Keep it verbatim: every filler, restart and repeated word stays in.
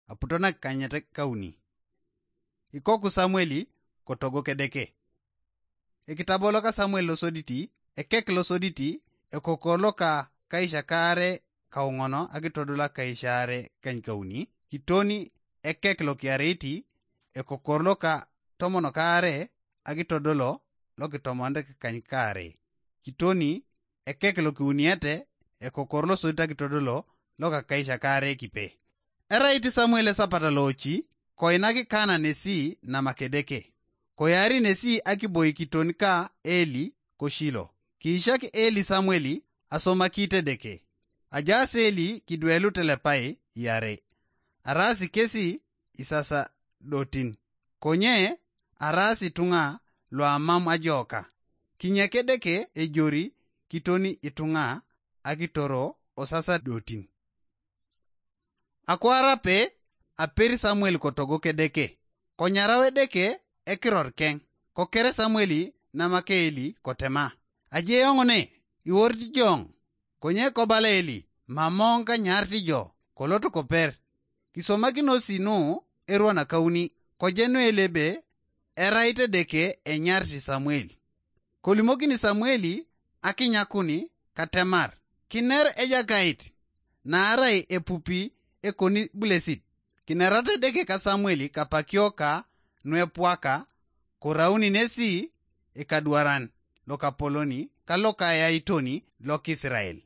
aputo nakikanyet kauni. Ikoku Samueli kotogo kedeke. Ekitabo loka Samuel losoditi, ekek losoditi, ekokor loka kaisha kaare kaung'ono akitodol akaisha aare kany kauni, kitoni ekek lokiariti, ekokor loka tomon kaare akitodolo lokitomonde kany kaare, kitoni ekek lokiuniete, ekokor losodit akitodolo loka kaisha kaare kipe. Erait Samuel esapata loochi, koinaki Kana nesi namakedeke. Koyari nesi akiboikiton ka Eli koshilo. Kiishak Eli Samueli asomakite Edeke. Ajaas Eli kidwelu telepai iare. Araasi kesi isasadotin. Konye araasi ituŋa luamam ajoka. Kinyek Edeke ejori kitoni ituŋa akitoro osasadotin. Akwaar ape, aperi Samuel kotogo kedeke. Konyarau Edeke ekiror keŋ. Kokere Samuel namak Eli kotema, aje eoŋ ne, iworit joŋ. Konye kobala Eli, mamoŋ kanyarit jo, kolot koper. Kisomakinosi nu erwa nakauni, kojenu Eli ebe erait Edeke enyarit Samuel. Kolimokini Samueli akinyakuni katemar, kiner Ejakait, naarai epupi ekoni bulesit. Kinerata Edeke ka Samueli kapakio ka nuepwaka, korauni nesi ikadwaran lokapoloni ka lokayaitoni lokisirael.